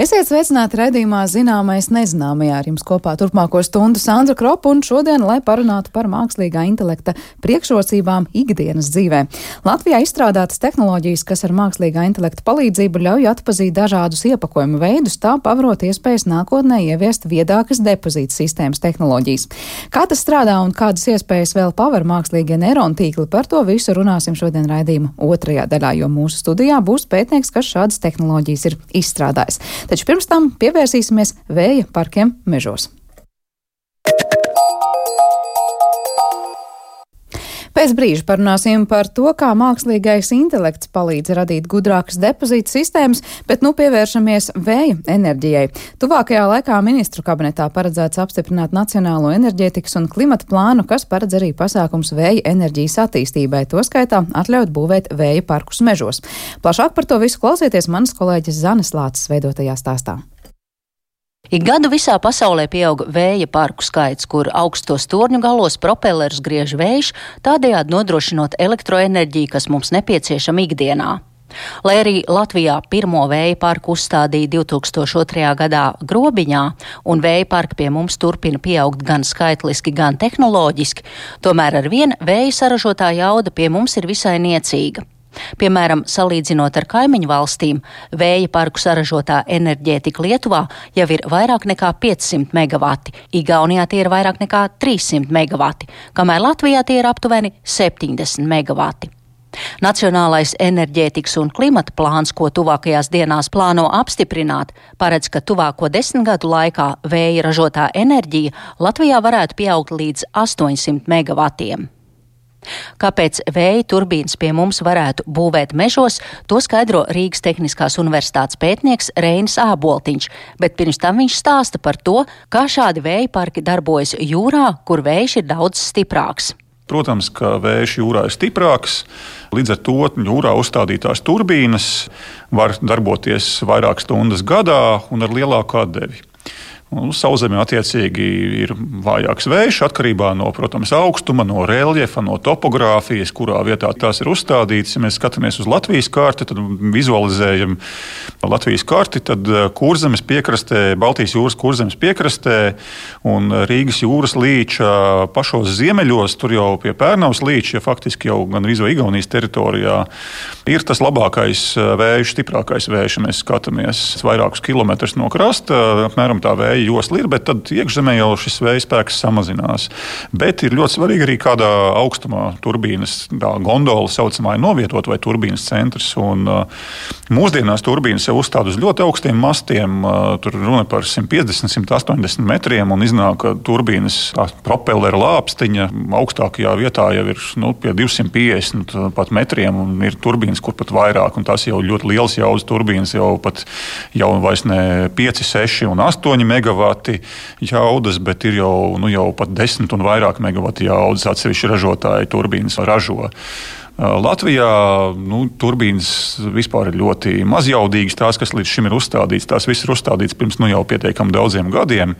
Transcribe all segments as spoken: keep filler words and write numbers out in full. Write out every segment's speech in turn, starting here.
Esiet sveicināti raidījumā Zināmais nezināmajā. Ar jums kopā turpmāko stundu Sandra Kropa un šodien, lai parunātu par mākslīgā intelekta priekšrocībām ikdienas dzīvē. Latvijā izstrādātas tehnoloģijas, kas ar mākslīgā intelekta palīdzību ļauj atpazīt dažādus iepakojumu veidus, tā pavarot iespējas nākotnē ieviest viedākas depozīta sistēmas tehnoloģijas. Kā tas strādā un kādas iespējas vēl paver mākslīgie neironu tīkli, par to visu runāsim šodien raidījuma otrajā daļā, jo mūsu studijā būs pētnieks, kas šādas tehnoloģijas ir izstrādājis. Taču pirms tam pievērsīsimies vēja parkiem mežos. Pēc brīža parunāsim par to, kā mākslīgais intelekts palīdz radīt gudrākas depozīta sistēmas, bet nu pievēršamies vēja enerģijai. Tuvākajā laikā ministru kabinetā paredzēts apstiprināt Nacionālo enerģētikas un klimata plānu, kas paredz arī pasākums vēja enerģijas attīstībai, toskaitā atļaut būvēt vēja parkus mežos. Plašāk par to visu klausieties manas kolēģes Zanes Lāces veidotajā stāstā. Ik gadu visā pasaulē pieaug vēja parku skaits, kur augstos torņu galos propellerus griež vējš, tādējādi nodrošinot elektroenerģiju, kas mums nepieciešama ikdienā. Lai arī Latvijā pirmo vēja parku uzstādīja divi tūkstoši otrajā gadā Grobiņā, un vēja parki pie mums turpina pieaugt gan skaitliski, gan tehnoloģiski, tomēr ar vien vēja saražotā jauda pie mums ir visai niecīga. Piemēram, salīdzinot ar kaimiņu valstīm, vēja parku saražotā enerģētika Lietuvā jau ir vairāk nekā piecsimt megavati, Igaunijā tie ir vairāk nekā trīssimt megavati, kamēr Latvijā tie ir aptuveni septiņdesmit megavati. Nacionālais enerģētikas un klimata plāns, ko tuvākajās dienās plāno apstiprināt, paredz, ka tuvāko desmit gadu laikā vēja ražotā enerģija Latvijā varētu pieaugt līdz astoņsimt megavatiem. Kāpēc vēja turbīnas pie mums varētu būvēt mežos, to skaidro Rīgas Tehniskās universitātes pētnieks Reinis Āboltiņš, bet pirms tam viņš stāsta par to, kā šādi vēja parki darbojas jūrā, kur vējš ir daudz stiprāks. Protams, ka vējš jūrā ir stiprāks, līdz ar to jūrā uzstādītās turbīnas var darboties vairākas stundas gadā un ar lielāku atdevi. Sauszemē attiecīgi ir vājāks vējš atkarībā no, protams, augstuma, no reljefa, no topogrāfijas, kurā vietā tās ir uzstādītas. Ja mēs skatāmies uz Latvijas karti, tad vizualizējam Latvijas karti, tad Kurzemes piekrastē, Baltijas jūras Kurzemes piekrastē un Rīgas jūras līča pašos ziemeļos, tur jau pie Pērnavas līča, ja faktiski jau gan arī Igaunijas teritorijā, ir tas labākais vējš, stiprākais vējš, ja mēs skatāmies vairākus kilometrus no krasta, apmēram tā vēja josla ir, bet tad iekšzemē jau šis vēja spēks samazinās. Bet ir ļoti svarīgi arī kādā augstumā turbīnas, tā gondola saucamā ir novietot vai turbīnas centrs. Un, uh, mūsdienās turbīnas jau uzstāda uz ļoti augstiem mastiem, uh, tur runa par simt piecdesmit līdz simt astoņdesmit metriem un iznāk, ka turbīnas propellera lāpstiņa augstākajā vietā jau ir nu, pie divsimt piecdesmit pat metriem un ir turbīnas, kur pat vairāk, un tās jau ļoti liels jaudas turbīnas, jau pat jau vairs ne pieci, seši un astoņi megavati jaudas, bet ir jau, nu, jau pat desmit un vairāk megavati jaudas atsevišķi ražotāji turbīnas ražo. Latvijā nu, turbīnas vispār ir ļoti mazjaudīgas, tās, kas līdz šim ir uzstādītas, tās viss ir uzstādītas pirms nu, jau pietiekami daudziem gadiem.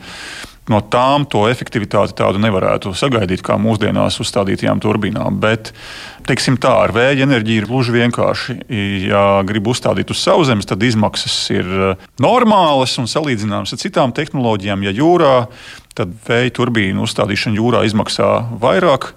No tām to efektivitāti tādu nevarētu sagaidīt kā mūsdienās uzstādītajām turbīnām, bet, teiksim tā, ar vēja enerģiju ir gluži vienkārši. Ja grib uzstādīt uz sauszemes, tad izmaksas ir normālas un salīdzināmas ar citām tehnoloģijām. Ja jūrā, tad vēja turbīnu uzstādīšana jūrā izmaksā vairāk,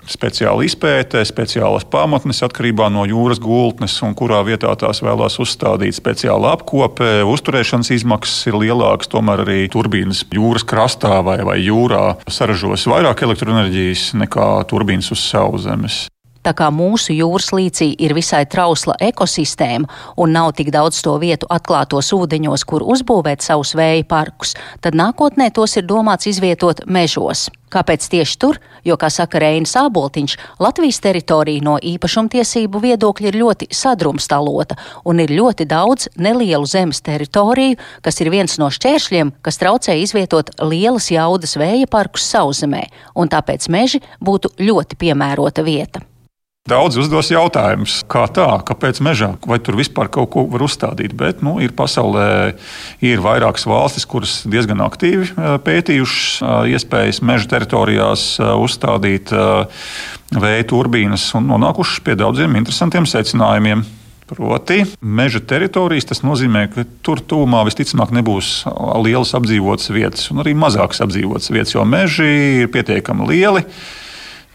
speciāla izpēte, speciālas pamatnes atkarībā no jūras gultnes un kurā vietā tās vēlās uzstādīt, speciāla apkope, uzturēšanas izmaksas ir lielākas, tomēr arī turbīnas jūras krastā vai, vai jūrā saražos vairāk elektroenerģijas nekā turbīnas uz sauszemes. Tā kā mūsu jūras līcī ir visai trausla ekosistēma un nav tik daudz to vietu atklātos ūdeņos, kur uzbūvēt savus vēja parkus, tad nākotnē tos ir domāts izvietot mežos. Kāpēc tieši tur? Jo, kā saka Reinis Āboltiņš, Latvijas teritorija no īpašumtiesību viedokļa ir ļoti sadrumstalota un ir ļoti daudz nelielu zemes teritoriju, kas ir viens no šķēršļiem, kas traucē izvietot lielas jaudas vēja parkus sauszemē, un tāpēc meži būtu ļoti piemērota vieta. Daudz uzdos jautājumus, kā tā, kāpēc mežā, vai tur vispār kaut ko var uzstādīt, bet nu, ir pasaulē ir vairākas valstis, kuras diezgan aktīvi pētījušas iespējas meža teritorijās uzstādīt vēja turbīnas un nonākušas pie daudziem interesantiem secinājumiem. Proti, meža teritorijas, tas nozīmē, ka tur tuvumā visticamāk nebūs lielas apdzīvotas vietas un arī mazākas apdzīvotas vietas, jo meži ir pietiekami lieli.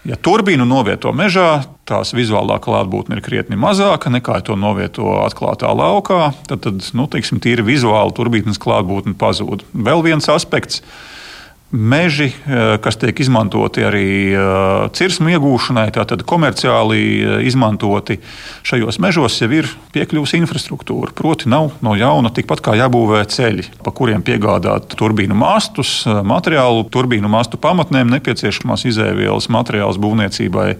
Ja turbīnu novieto mežā, tās vizuālā klātbūtne ir krietni mazāka nekā to novieto atklātā laukā, tad, tad nu, teiksim, tīri vizuāli turbīnas klātbūtne pazūd. Vēl viens aspekts. Meži, kas tiek izmantoti arī cirsmu iegūšanai, tātad komerciāli izmantoti, šajos mežos jau ir piekļuvusi infrastruktūra. Proti, nav no jauna tikpat kā jābūvē ceļi, pa kuriem piegādāt turbīnu mastus, materiālu, turbīnu mastu pamatnēm nepieciešamās izēvielas, materiāls būvniecībai,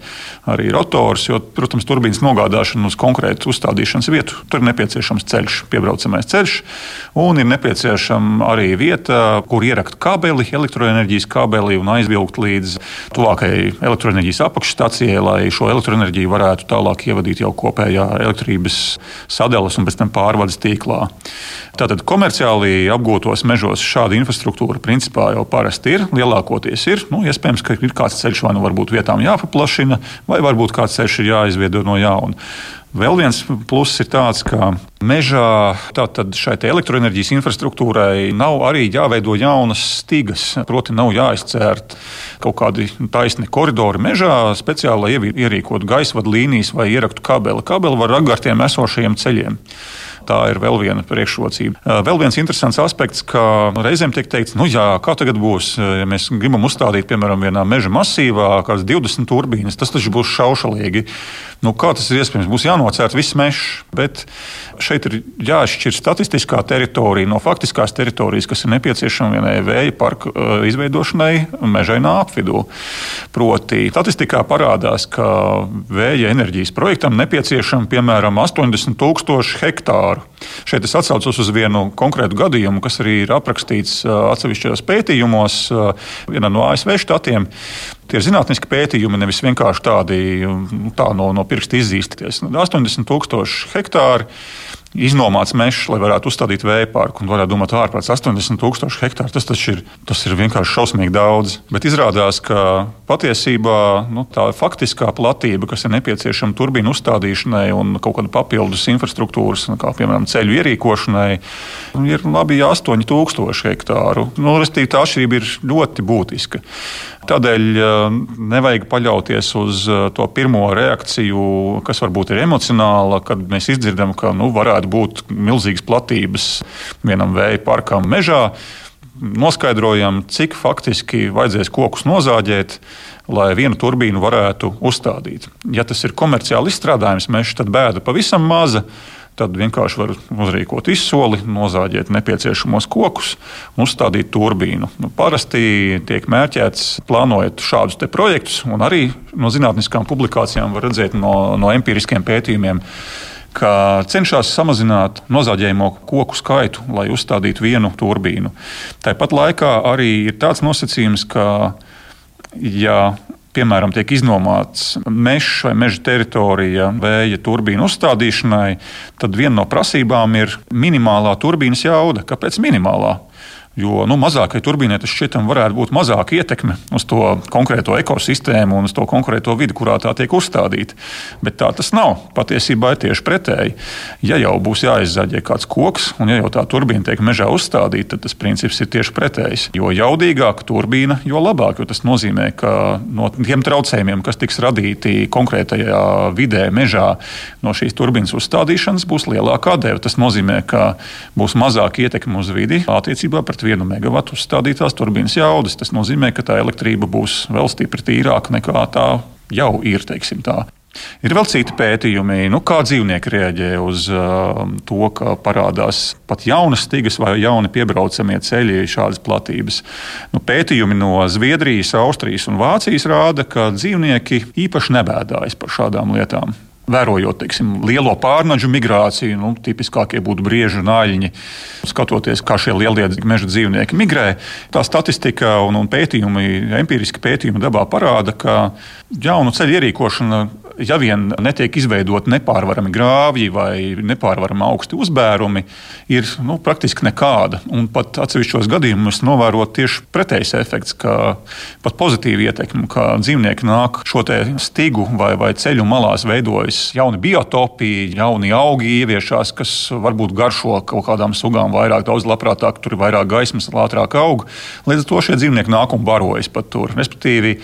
arī rotors, jo, protams, turbīnas nogādāšana uz konkrētu uzstādīšanas vietu. Tur ir nepieciešams ceļš, piebraucamais ceļš, un ir nepieciešama arī vieta, kur ierakt kabeli, elektroenerģijas kabeli un aizvilkt līdz tuvākajai elektroenerģijas apakšstacijai, lai šo elektroenerģiju varētu tālāk ievadīt jau kopējā elektrības sadales un pēc tam pārvades tīklā. Tātad komerciāli apgūtos mežos šāda infrastruktūra principā jau parasti ir, lielākoties ir. Nu, iespējams, ka ir kāds ceļš vai nu varbūt vietām jāpaplašina, vai varbūt kāds ceļš ir jāizveido no jauna. Vēl viens pluss ir tāds, ka mežā tātad šai elektroenerģijas infrastruktūrai nav arī jāveido jaunas stigas. Proti, nav jāizcērt kaut kādi taisni koridori mežā, speciāli, lai ierīkotu gaisvadu līnijas vai ieraktu kabeli. Kabeli var rakt gar tiem esošajiem ceļiem. Tā ir vēl viena priekšrocība. Vēl viens interesants aspekts, ka reizēm tiek teikts, nu jā, kā tagad būs, ja mēs gribam uzstādīt, piemēram, vienā meža masīvā kādas divdesmit turbīnas, tas taču būs šaušalīgi. Nu, kā tas ir iespējams? Būs jānocērt viss mežs, bet šeit ir jāatšķir statistiskā teritorija no faktiskās teritorijas, kas ir nepieciešama vienai vēja parku izveidošanai mežainā apvidū. Proti, statistikā parādās, ka vēja enerģijas projektam nepieciešama, piemēram, astoņdesmit tūkstoši hektāru. Šeit es atsaucos uz vienu konkrētu gadījumu, kas arī ir aprakstīts atsevišķos pētījumos, vienā no A S V štatiem. Tie ir zinātniski pētījumi, nevis vienkārši tādi tā no, no pirksta izzīstīties. astoņdesmit tūkstoši hektāri iznomāts mežs, lai varētu uzstādīt vēja parku. Un varētu domāt, ārprāts astoņdesmit tūkstoši hektāri, tas taču ir, tas ir vienkārši šausmīgi daudz. Bet izrādās, ka patiesībā nu, tā faktiskā platība, kas ir nepieciešama turbīnu uzstādīšanai un kaut kāda papildus infrastruktūras, kā piemēram ceļu ierīkošanai, ir labi astoņi tūkstoši hektāru. Nu, restīvi, tā atšķirība ir ļoti būtiska. Tādēļ nevajag paļauties uz to pirmo reakciju, kas varbūt ir emocionāla, kad mēs izdzirdam, ka nu, varētu būt milzīgas platības vienam vēja parkam mežā. Noskaidrojam, cik faktiski vajadzēs kokus nozāģēt, lai vienu turbīnu varētu uzstādīt. Ja tas ir komerciāli izstrādājums mežs, tad bēda pavisam maza. Tad vienkārši var uzrīkot izsoli, nozāģēt nepieciešamos kokus un uzstādīt turbīnu. Nu, parasti tiek mērķēts plānojot šādus te projektus, un arī no zinātniskām publikācijām var redzēt no, no empiriskiem pētījumiem, ka cenšas samazināt nozāģējumu koku skaitu, lai uzstādītu vienu turbīnu. Tāpat laikā arī ir tāds nosacījums, ka, ja piemēram, tiek iznomāts mežs vai meža teritorija vēja turbīnu uzstādīšanai, tad viena no prasībām ir minimālā turbīnas jauda. Kāpēc minimālā? Jo nu, mazākai turbīnai tas šķietam varētu būt mazāka ietekme uz to konkrēto ekosistēmu un uz to konkrēto vidi, kurā tā tiek uzstādīta. Bet tā tas nav. Patiesībā ir tieši pretēji. Ja jau būs jāizzaģē kāds koks un ja jau tā turbīna tiek mežā uzstādīta, tad tas princips ir tieši pretējs. Jo jaudīgāka turbīna, jo labāk. Jo tas nozīmē, ka no tiem traucējumiem, kas tiks radīti konkrētajā vidē, mežā, no šīs turbīnas uzstādīšanas būs lielāka atdeve. Tas nozīmē, ka būs mazāka ietekme uz vidi attiecībā pret vienu megavatu uzstādītās turbīnas jaudas. Tas nozīmē, ka tā elektrība būs vēl stipri tīrāka nekā tā jau ir, teiksim tā. Ir vēl citi pētījumi, nu, kā dzīvnieki reaģē uz uh, to, ka parādās pat jaunas stigas vai jauni piebraucamie ceļi šādas platības. Nu, pētījumi no Zviedrijas, Austrijas un Vācijas rāda, ka dzīvnieki īpaši nebēdājas par šādām lietām. Vērojot, teiksim, lielo pārnaģu migrāciju, nu, tipiskākie būtu brieži un āļņi, skatoties, kā šie lielie meža dzīvnieki migrē, tā statistika un, un pētījumi, empiriski pētījumi dabā parāda, ka jaunu ceļu ierīkošana Ja vien netiek izveidot nepārvarami grāvji vai nepārvarami augsti uzbērumi, ir nu, praktiski nekāda. Un pat atsevišķos gadījumos novērot tieši pretējs efekts, ka pat pozitīva ietekme, ka dzīvnieki nāk šo te stigu vai, vai ceļu malās veidojas jauni biotopi, jauni augi ieviešās, kas varbūt garšo kaut kādām sugām vairāk, daudz labprātāk, tur ir vairāk gaismas, ātrāk aug. Līdz ar to šie dzīvnieki nāk un barojas pat tur. Respektīvi,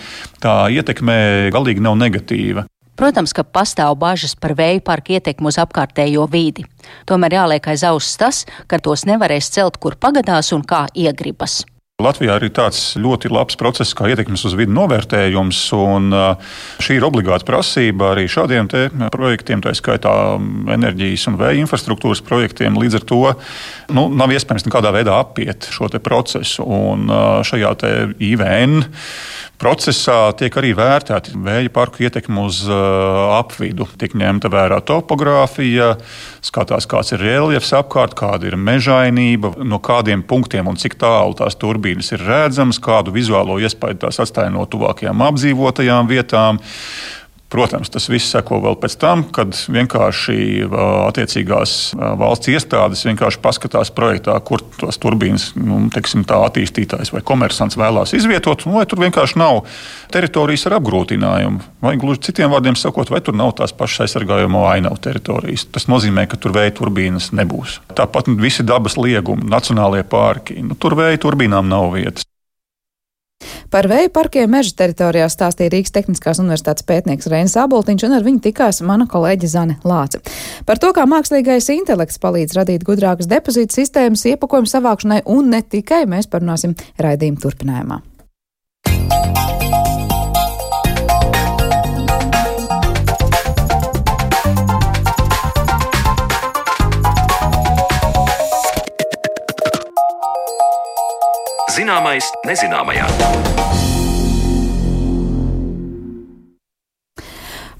tā ietekme galīgi nav negatīva. Protams, ka pastāv bažas par vēju parku ietekmi uz apkārtējo vidi. Tomēr jāliek aiz auss tas, ka tos nevarēs celt, kur pagadās un kā iegribas. Latvijā ir tāds ļoti labs process, kā ietekmes uz vidi novērtējums, un šī ir obligāta prasība arī šādiem te projektiem, tā skaitā enerģijas un vēja infrastruktūras projektiem. Līdz ar to nu, nav iespējams nekādā veidā apiet šo te procesu, un šajā te I V N procesā tiek arī vērtēti vēja parku ietekmi uz uh, apvidu. Tiek ņemta vērā topogrāfija, skatās, kāds ir reljefs apkārt, kāda ir mežainība, no kādiem punktiem un cik tālu tās turbīnas ir redzamas, kādu vizuālo iespaidu tās atstāja no tuvākajām apdzīvotajām vietām. Protams, tas viss seko vēl pēc tam, kad vienkārši attiecīgās valsts iestādes vienkārši paskatās projektā, kur tos turbīnas, nu, teiksim, tā attīstītājs vai komersants vēlās izvietot, un vai tur vienkārši nav teritorijas ar apgrūtinājumu. Vai gluži citiem vārdiem sakot, vai tur nav tās pašas aizsargājamo ainavu teritorijas. Tas nozīmē, ka tur vēja turbīnas nebūs. Tāpat visi dabas liegumi, nacionālie parki, nu, tur vēja turbīnām nav vietas. Par vēju parkiem meža teritorijā stāstīja Rīgas Tehniskās universitātes pētnieks Reinis Āboltiņš, un ar viņu tikās mana kolēģe Zane Lāce. Par to, kā mākslīgais intelekts palīdz radīt gudrākas depozītu sistēmas iepakojumu savākšanai, un ne tikai, mēs parunāsim raidījuma turpinājumā. Zināmais nezināmajā.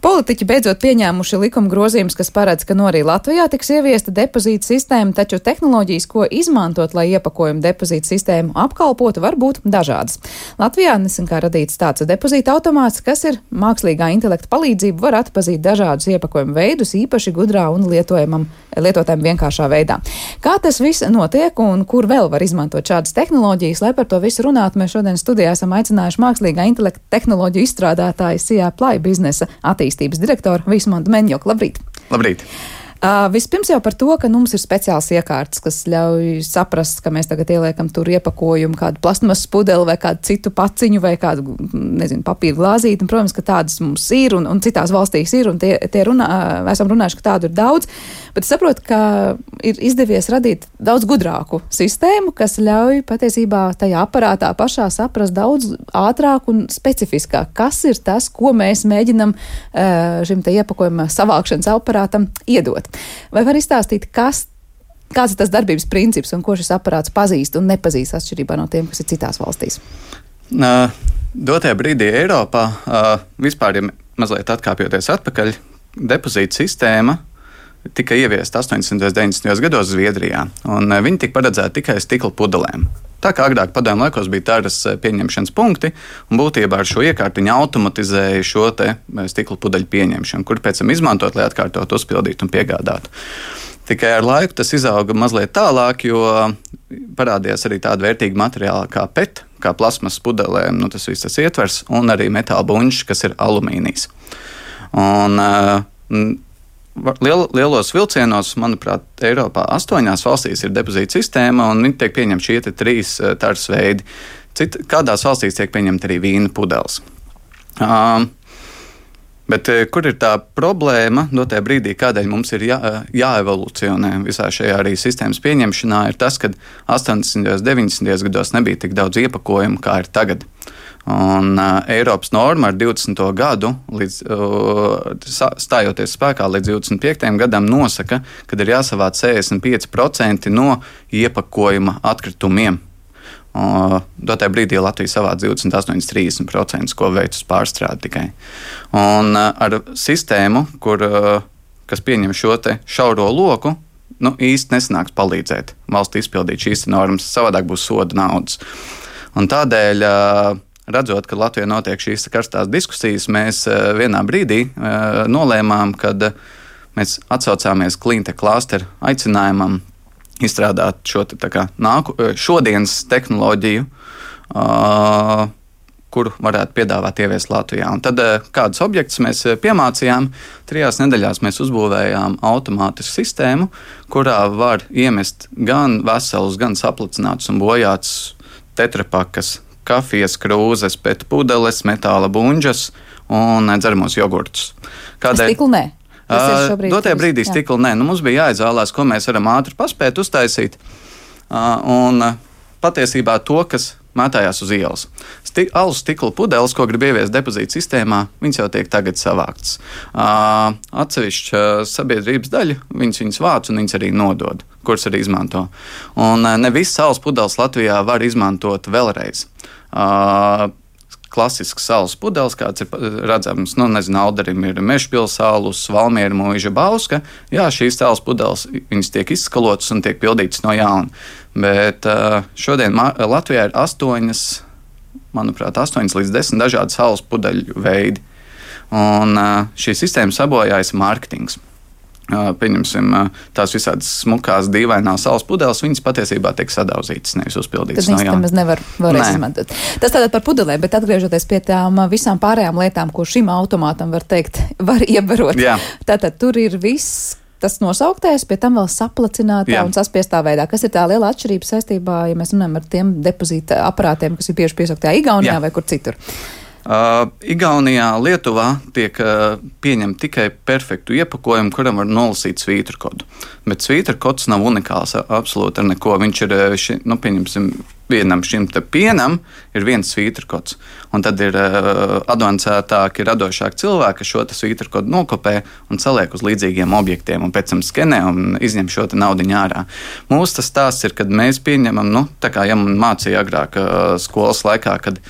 Politiķi beidzot pieņēmuši likuma grozījumus, kas paredz, ka no arī Latvijā tiks ieviesta depozīta sistēma, taču tehnoloģijas, ko izmantot, lai iepakojumu depozīta sistēmu apkalpotu, var būt dažādas. Latvijā nesen kā radīts tāds depozīta automāts, kas ir mākslīgā intelekta palīdzību, var atpazīt dažādus iepakojumu veidus, īpaši gudrā un lietojamam, lietotājiem vienkāršā veidā. Kā tas viss notiek un kur vēl var izmantot šādas tehnoloģijas, lai par to visu runātu, mēs šodien studijā esam aicinājuši mākslīgā intelekta tehnoloģiju izstrādātāju C I Apply biznesa attīstības direktoru Vismantu Meņoku. Labrīt! Labrīt! Uh, vispirms jau par to, ka mums ir speciāls iekārtas, kas ļauj saprast, ka mēs tagad ieliekam tur iepakojumu, kādu plastmasas pudeli vai kādu citu paciņu vai kādu, nezinu, papīra glāzīti. Un, protams, ka tādas mums ir un, un citās valstīs ir, un tie, tie runā, esam runājuši, ka tādu ir daudz. Bet es saprotu, ka ir izdevies radīt daudz gudrāku sistēmu, kas ļauj patiesībā tajā aparātā pašā saprast daudz ātrāk un specifiskāk, kas ir tas, ko mēs mēģinam uh, šim te iepakojuma savākšanas aparātam iedot. Vai var izstāstīt, kas, kāds ir tas darbības princips un ko šis aparāts pazīst un nepazīst atšķirībā no tiem, kas ir citās valstīs? Uh, dotajā brīdī Eiropā, uh, vispār, ja mazliet atkāpjoties atpakaļ, depozīta sistēma tika ieviesta astoņdesmitajos, deviņdesmitajos gados Zviedrijā, un uh, viņi tika paredzēti tikai stikla pudelēm. Tā kā agrāk padomju laikos bija tāras pieņemšanas punkti, un būtībā ar šo iekārtiņu automatizēja šo te stikla pudeļu pieņemšanu, kur pēc tam izmantot, lai atkārtot, uzpildītu un piegādātu. Tikai ar laiku tas izauga mazliet tālāk, jo parādījās arī tāda vērtīga materiāla kā P E T, kā plasmas pudelēm, nu tas viss tas ietvers, un arī metāla buņš, kas ir alumīnijas. Un, uh, Liel, lielos vilcienos, manuprāt, Eiropā astoņās valstīs ir depozīta sistēma, un viņi tiek pieņemti šie trīs taras veidi. Cit, kādās valstīs tiek pieņemta arī vīna pudeles. Um, bet kur ir tā problēma, dotajā brīdī, kādēļ mums ir jā, jāevolucionē visā šajā arī sistēmas pieņemšanā, ir tas, ka astoņdesmitajos, deviņdesmitajos gados nebija tik daudz iepakojumu, kā ir tagad. Un uh, Eiropas norma ar divdesmito gadu, līdz, uh, stājoties spēkā līdz divdesmit piektajam gadam, nosaka, ka ir jāsavāc sešdesmit pieci procenti no iepakojuma atkritumiem. Uh, Dotajā brīdī Latvija savāc divdesmit astoņi līdz trīsdesmit procenti, ko veic uz pārstrādi tikai. Un uh, ar sistēmu, kur, uh, kas pieņem šo te šauro loku, nu, īsti nesanāks palīdzēt valsts izpildīt šīs normas, savādāk būs soda naudas. Un tādēļ uh, redzot, ka Latvijā notiek šīs karstās diskusijas, mēs vienā brīdī nolēmām, kad mēs atsaucāmies Cleantech klasteru aicinājumam izstrādāt šo te, tā kā, nāku, šodienas tehnoloģiju, kuru varētu piedāvāt ieviest Latvijā. Un tad kādus objektus mēs piemācījām. Trijās nedēļās mēs uzbūvējām automātisku sistēmu, kurā var iemest gan veselus, gan saplacinātus un bojātus tetrapakas, kafijas krūzes, pēc pudeles, metāla buņģas un dzeramos jogurtus. Kādēļ? Stiklu nē. Dotajā brīdī stiklu nē. Nu, mums bija jāizvēlās, ko mēs varam ātri paspēt uztaisīt. Un patiesībā to, kas mētājās uz ielas. Sti, alus stikla pudeles, ko grib ieviest depozīta sistēmā, viņas jau tiek tagad savāktas. Uh, atsevišķa sabiedrības daļa, viņas viņas vāc un viņas arī nodod, kuras arī izmanto. Un uh, ne visas alus pudeles Latvijā var izmantot vēlreiz. Uh, Klasisks salas pudeles, kāds ir redzams, nu, nezinu, Alderim ir Mežpils salus, Valmiera, Mūža, Bauska. Jā, šīs salas pudeles, viņas tiek izskalotas un tiek pildītas no jauna. Bet šodien Latvijā ir astoņas, manuprāt, astoņas līdz desmit dažādi salas pudeļu veidi. Un šī sistēma sabojājas mārketings. Pieņemsim, tās visādas smukās, dīvainās salas pudeles, viņas patiesībā tiek sadauzītas, nevis uzpildītas. Tas viņas nemaz nevar varēs izmantot. Tas tātad par pudelēm, bet atgriežoties pie tām visām pārējām lietām, ko šim automātam var teikt, var iebarot. Jā. Tātad tur ir viss tas nosauktais, pie tam vēl saplacinātā Jā. Un saspiestā veidā. Kas ir tā liela atšķirība saistībā, ja mēs runājam ar tiem depozīta aparātiem, kas ir bieži piesauktajā Igaunijā Jā. Vai kur citur? Uh, Igaunijā, Lietuvā tiek uh, pieņemta tikai perfektu iepakojumu, kuram var nolasīt svītru kodu. Bet svītru kods nav unikāls absolūti ar neko. Viņš ir, ši, nu, pieņemsim, vienam šim te pienam ir viens svītru kods. Un tad ir uh, advancētāki, radošāki cilvēki, kas šo te svītru kodu nokopē un saliek uz līdzīgiem objektiem un pēc tam skenē un izņem šo te naudiņu ārā. Mūsu tas stāsts ir, kad mēs pieņemam, nu, tā kā ja man mācīja agrāk uh, skolas laikā, kad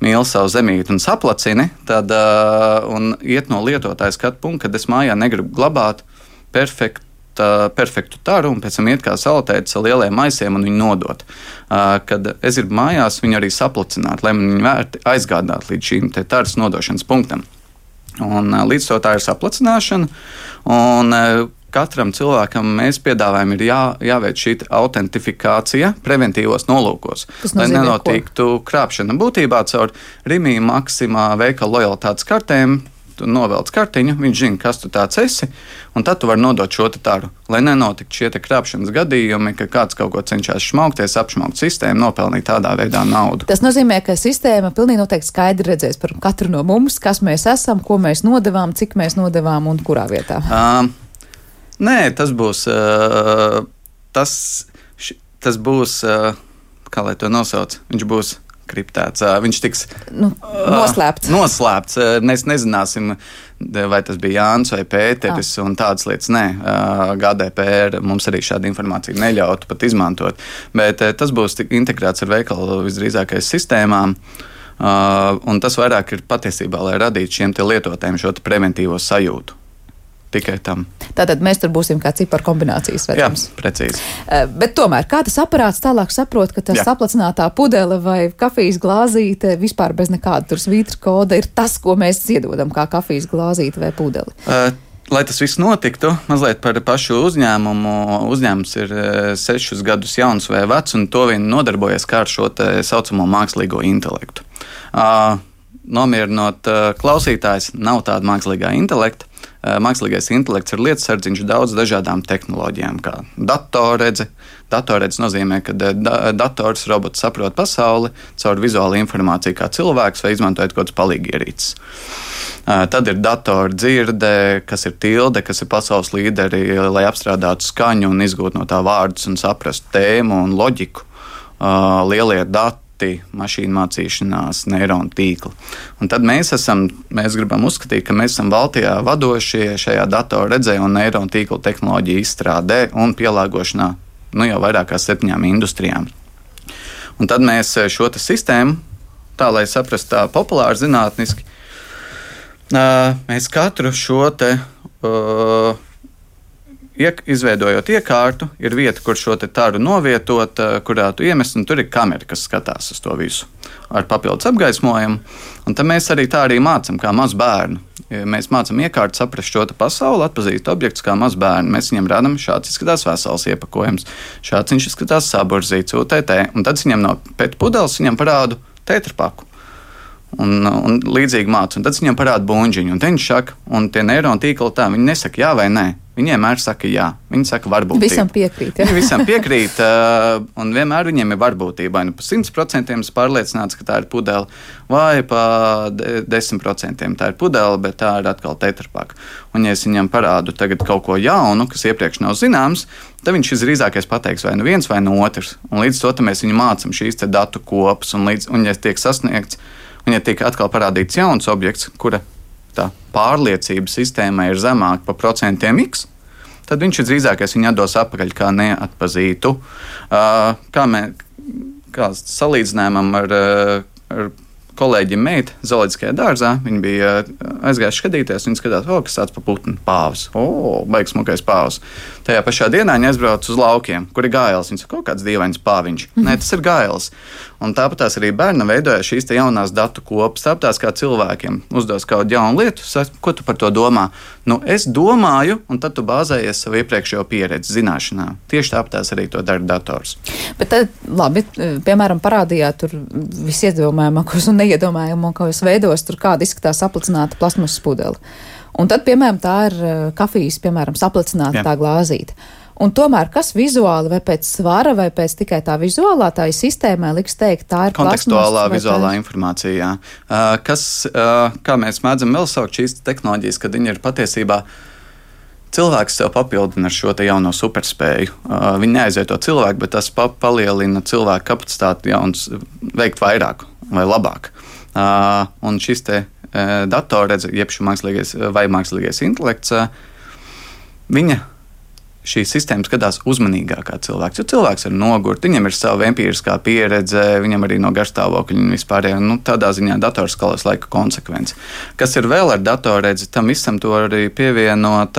mīl savu zemīti un saplacini, tad uh, un iet no lietotāja skatu punkta, kad es mājā negribu glabāt perfektu, uh, perfektu taru un pēc tam iet kā salatētis ar lieliem maisiem un viņu nodot. Uh, kad es gribu mājās viņu arī saplacināt, lai man viņu vērti aizgādāt līdz šīm te taras nodošanas punktam. Un uh, līdz to tā ir saplacināšana un uh, katram cilvēkam mēs piedāvājam, ir jā, jāveic šī autentifikācija preventīvos nolūkos, lai nenotiktu ko? Krāpšana. Būtībā caur Rimī Maksimā veikala lojalitātes kartēm tu novelc kartiņu, viņš zina, kas tu tāds esi, un tad tu vari nodot šo taru, lai nenotiktu šie krāpšanas gadījumi, ka kāds kaut ko cenšas šmaukties, apšmaukt sistēmu, nopelnīt tādā veidā naudu. Tas nozīmē, ka sistēma pilnīgi noteikti skaidri redzēs par katru no mums, kas mēs esam, ko mēs nodevām, cik mēs nodevām un kurā vietā. Um, Nē, tas būs, uh, tas, š, tas būs, uh, kā lai to nosauc, viņš būs kriptēts, uh, viņš tiks nu, noslēpts. Uh, noslēpts. Uh, mēs nezināsim, vai tas bija Jānis vai Pēteris ah. un tādas lietas. Nē, uh, G D P R mums arī šādu informāciju neļautu pat izmantot, bet uh, tas būs integrēts ar veikalu visdrīzākais sistēmām. Uh, un tas vairāk ir patiesībā, lai radītu šiem te lietotājiem šo te preventīvo sajūtu. Tikai tam. Tātad mēs tur būsim kā ciparu kombinācijas redzams. Jā, precīzi. Uh, bet tomēr, kā tas aparāts tālāk saprot, ka tas Jā. Saplacinātā pudele vai kafijas glāzīte vispār bez nekāda tur svītru koda ir tas, ko mēs iedodam kā kafijas glāzīte vai pudeli? Uh, Lai tas viss notiktu, mazliet par pašu uzņēmumu. Uzņēmums ir sešus gadus jauns vai vecs, un to vien nodarbojas kā ar šo tā saucamo mākslīgo intelektu. Uh, Nomierinot uh, klausītājs, nav tāda mākslīgā intelekta. Uh, mākslīgais intelekts ir lietasardziņš daudz dažādām tehnoloģijām, kā datorredze. Datorredze nozīmē, ka da- dators, robots saprot pasauli caur vizuālu informāciju kā cilvēks vai izmantojot kaut kāds palīgierīces. Uh, tad ir datordzirde, kas ir tilde, kas ir pasaules līderi, lai apstrādātu skaņu un izgūtu no tā vārdus un saprastu tēmu un loģiku. Uh, lielie dati, mašīnu mācīšanās, neironu tīkli. Un tad mēs esam, mēs gribam uzskatīt, ka mēs esam Baltijā vadošie šajā datorredzē un neironu tīklu tehnoloģiju izstrādē un pielāgošanā nu jau vairāk kā septiņām industrijām. Un tad mēs šo te sistēmu, tā lai saprastu tā populāri zinātniski, mēs katru šo te uh, iek, izveidojot iekārtu, ir vieta, kur šo te taru novietot, kurā tu iemest, un tur ir kamera, kas skatās uz to visu ar papildus apgaismojumu. Un tad mēs arī tā arī mācām, kā mazu bērnu. Mēs mācām iekārtu saprast šo pasauli, atpazīt objektus kā mazu bērnu. Mēs viņam rādām, šāds izskatās vesels iepakojums, šāds viņš izskatās saburzīts, U T T. Un tad viņam no pēc pudeles viņam parādu tetrapaku. Un, un līdzīgi māca, un tad viņam parāda buņģiņu, un te viņš saka, un tie neironu tīkli tā, viņi nesaka jā vai nē, viņi vienmēr saka jā, viņi saka varbūtība. Visam piekrīt, jā. Viņi visam piekrīt, un vienmēr viņiem ir varbūtība, vai nu pa simt procentiem es pārliecināts, ka tā ir pudele, vai pa desmit procentiem tā ir pudele, bet tā ir atkal tetrapaka. Un ja es viņam parādu tagad kaut ko jaunu, kas iepriekš nav zināms, tad viņš visdrīzākais pateiks vai nu viens vai nu otrs, un līdz to mēs viņu mācam šīs te datu kopas, un, līdz, un ja tiek sasniegts, un ja tiek atkal parādīts jauns objekts, kura tā pārliecības sistēmai ir zemāka par procentiem X, tad viņš ir drīzākais viņu atdos atpakaļ kā neatpazītu. Uh, kā mēs kā salīdzinājumam ar, ar kolēģi meitu zooloģiskajā dārzā, viņi bija aizgājuši skatīties, viņi skatās, o, kas tāds pa putnu pāvs, o, baigs smukais pāvs. Tajā pašā dienā viņi aizbrauc uz laukiem, kur ir gailis, viņi saka, o, kāds dīvains pāviņš. Mm-hmm. Nē, tas ir gailis. Un tāpatās arī bērnam veidoja šīs te jaunās datu kopas, tāpatās kā cilvēkiem uzdos kādu jaunu lietu, saka, ko tu par to domā? Nu, es domāju, un tad tu bāzējies savu iepriekšējo pieredzi zināšanā. Tieši tāpatās arī to dara dators. Bet tad, labi, piemēram, parādījāt tur visiedomājamākos un neiedomājamākos veidos, tur kāda izskatās aplicināta plasmasas pudele. Un tad, piemēram, tā ir kafijas, piemēram, saplicināta tā glāzīte. Un tomēr, kas vizuāli vai pēc svara vai pēc tikai tā vizuālā, tā ir sistēmai, liks teikt, tā ir kontekstuālā vizuālā tā... informācija, jā. Uh, kas, uh, kā mēs mēdzam vēl saukt šīs tehnoloģijas, kad viņi ir patiesībā cilvēks sev papildina ar šo te jauno superspēju. Uh, viņi neaizvieto cilvēku, bet tas pa palielina cilvēku kapacitāti jauns veikt vairāk vai labāk. Uh, un šis te uh, datorredz, jeb šī mākslīgais vai mākslīgais intelekts, uh, viņa šī sistēma skatās uzmanīgāk kā cilvēks, jo cilvēks ir nogurt, viņam ir sava empīriskā pieredze, viņam arī no garstāvokļa un vispārējā, nu, tādā ziņā dators kalēs laika konsekvence. Kas ir vēl ar datorredzi, tam visam to arī pievienot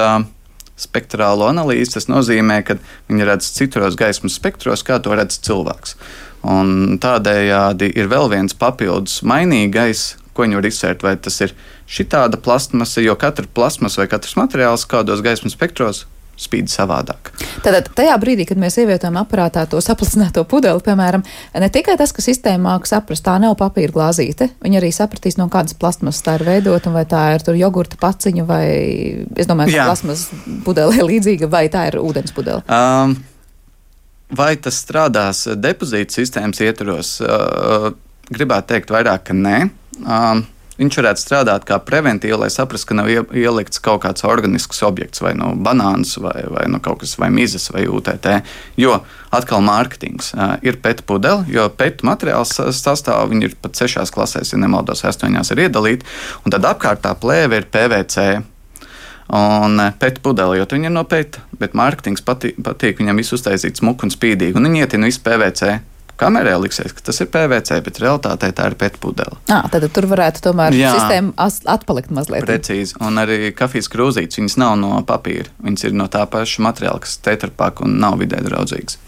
spektrālo analīzi, tas nozīmē, ka viņi redz citos gaismas spektros, kā to redz cilvēks. Un tādējādi ir vēl viens papildus mainīgais, ko viņi var izsvērt, vai tas ir šitāda plastmasa, jo katra plastmasa vai katrs materiāls kādos gaismas spektros spīd savādāk. Tātad tajā brīdī, kad mēs ievietojam aparātā to saplicināto pudeli, piemēram, ne tikai tas, ka sistēma māk saprast, tā nav papīra glāzīte, viņi arī sapratīs, no kādas plasmasas tā ir veidota, un vai tā ir tur jogurta paciņa, vai, es domāju, ka plasmasas pudelē līdzīga, vai tā ir ūdens pudele. Um, vai tas strādās depozīta sistēmas ietvaros? Uh, gribētu teikt vairāk, ka nē. Um, Viņš varētu strādāt kā preventīvi, lai saprastu, ka nav ielikts kaut kāds organisks objekts, vai no banāns, vai, vai no kaut kas, vai mizas, vai U T T. Jo atkal mārketings uh, ir peta pudele, jo peta materiāls sastāv, viņi ir pat sešās klasēs, ja nemaldos, astoņās ir iedalīti, un tad apkārtā plēve ir P V C. Un peta pudele, jo viņi ir no peta, bet mārketings patīk, patīk viņam visu uztaisīt smuku un spīdīgi, un viņi ietina visu P V C. Kamerā liksies, ka tas ir P V C, bet realitātē tā ir peta pudele. Ah, tad tur varētu tomēr jā, sistēma atpalikt mazliet. Precīzi, un arī kafijas krūzītes, viņas nav no papīra, viņas ir no tā paša materiāla, kas tetrapaka un nav vidē draudzīgs.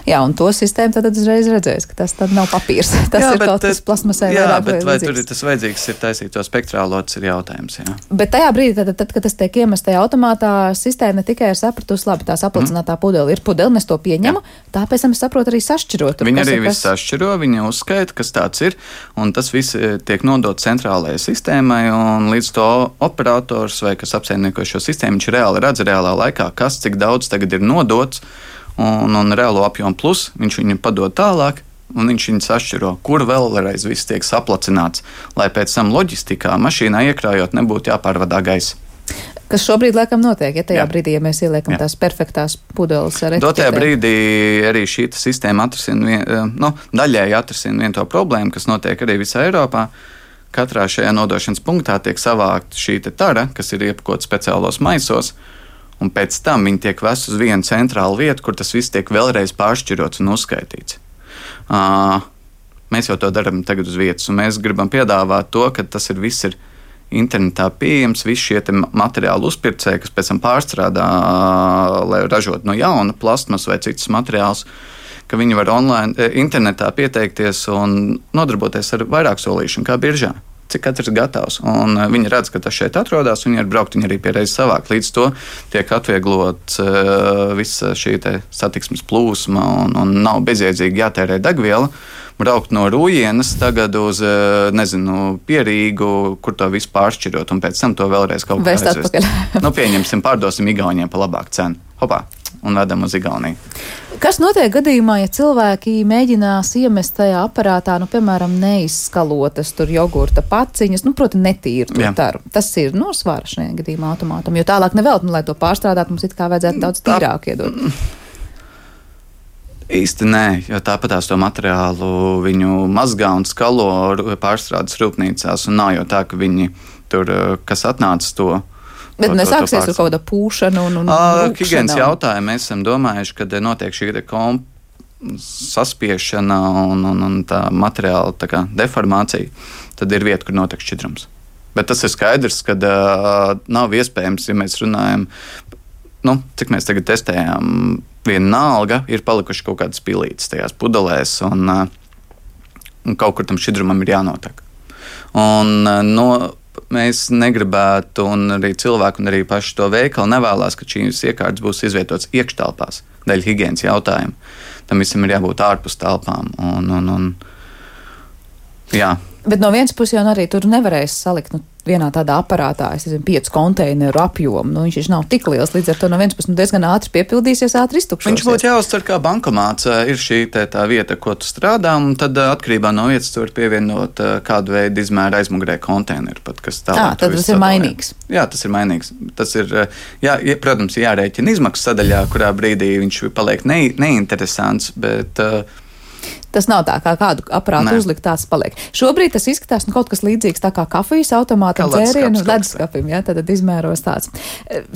Jā, un to sistēmu tad uzreiz redzēs, ka tas tad nav papīrs. Tas jā, ir kaut kas plasmasē jā, vairāk bet vai līdzīgs. Tur ir tas vajadzīgs ir taisīt to spektrālo, tas ir jautājums, jā. Bet tajā brīdī, tad, tad kad tas tiek iemests tajā automātā, sistēma ne tikai ir sapratusi, labi, tā saplicinātā mm. pudele ir pudele, es to pieņemu, jā. Tāpēc es saprotu arī sašķirot. Tur, viņi arī kas... visu sašķiro, viņi uzskaita, kas tāds ir, un tas viss tiek nodot centrālajai sistēmai, un līdz to operators vai kas apsaimnieko šo sistēmu, viņš reāli redz reālā laikā, kas cik daudz tagad ir nodots, Un, un reālo apjomu plus viņš viņu padod tālāk, un viņš viņu sašķiro, kur vēlreiz viss tiek saplacināts, lai pēc tam loģistikā mašīnā iekrājot nebūtu jāpārvadā gaisa. Kas šobrīd laikam notiek, ja tajā Jā. brīdī, ja mēs ieliekam Jā. tās perfektās pudeles ar etiķetēm. Dotajā brīdī arī šī sistēma atrisina, vien, nu, daļēji atrisina vienu to problēmu, kas notiek arī visā Eiropā. Katrā šajā nodošanas punktā tiek savākta šī te tara, kas ir iepakota speciālos maisos, un pēc tam viņi tiek vest uz vienu centrālu vietu, kur tas viss tiek vēlreiz pāršķirots un uzskaitīts. Uh, mēs jau to darām tagad uz vietas, un mēs gribam piedāvāt to, ka tas ir viss ir internetā pieejams visi šie materiālu uzpircēji, kas pēc tam pārstrādā, lai ražotu no jauna plastmas vai citus materiālus, ka viņi var online, internetā pieteikties un nodarboties ar vairāk solīšanu kā biržā. Cik katrs ir gatavs. Un viņi redz, ka tas šeit atrodas, viņi ir braukt, viņi arī piereiz savāk. Līdz to tiek atvieglot uh, visa šī satiksmes plūsma un, un nav bezjēdzīgi jātērē degviela. Braukt no Rūjienas tagad uz, nezinu, Pierīgu, kur to visu pāršķirot un pēc tam to vēlreiz kaut kā aizvest. Nu, pieņemsim, pārdosim Igauniem pa labāku cenu. Hopā! Un vedam uz Igauniju. Kas notiek gadījumā, ja cilvēki mēģinās iemest tajā aparātā, nu, piemēram, neizskalotas tur jogurta paciņas, nu, proti, netīru to taru? Tas ir nosvāra šajā gadījumā automātam, jo tālāk nevelt, nu, lai to pārstrādāt, mums it kā vajadzētu daudz tīrāk iedot. Īsti nē, jo tāpatās to materiālu viņu mazgā un skalo pārstrādes rūpnīcās, un nav jau tā, ka viņi tur, kas atnāca to. Bet to, nesāksies ar kaut kāda pūšana un, un higienas jautājumu. Mēs esam domājuši, ka notiek šī komp saspiešana un, un, un tā materiāla tā kā deformācija. Tad ir vieta, kur notiek šķidrums. Bet tas ir skaidrs, ka uh, nav iespējams, ja mēs runājam, nu, cik mēs tagad testējām, vienalga ir palikuši kaut kādas pilītes tajās pudelēs un, uh, un kaut kur tam šķidrumam ir jānotiek. Un uh, no mēs negribētu, un arī cilvēki, un arī paši to veikalu nevēlas, ka šīs iekārtas būs izvietotas iekštelpās dēļ higienas jautājumu. Tam visam ir jābūt ārpus telpām. Un, un, un, jā. Bet no vienas puses jau arī tur nevarēs salikt nu, vienā tādā aparātā, es nezinu, piecu konteineru apjomu. Nu, viņš nav tik liels, līdz ar to no vienas puses nu, diezgan ātri piepildīsies, ātri iztukšosies. Viņš būtu jāuztver kā bankomāts. Ir šī tā, tā vieta, ko tu strādā, un tad atkarībā no vietas tu vari pievienot kādu veidu izmēru aizmugurē konteineru. Pat, kas tā, à, tad tas ir mainīgs. Jā, tas ir mainīgs. Tas ir, jā, protams, jārēķina izmaksu sadaļā, kurā brīdī viņš paliek ne, neinteresants, bet tas nav tā, kā kādu aparātu ne. Uzlikt, tāds paliek. Šobrīd tas izskatās nu, kaut kas līdzīgs tā kā kafijas automātam, dzērienu, ledskapim, ja, tad izmēros tāds.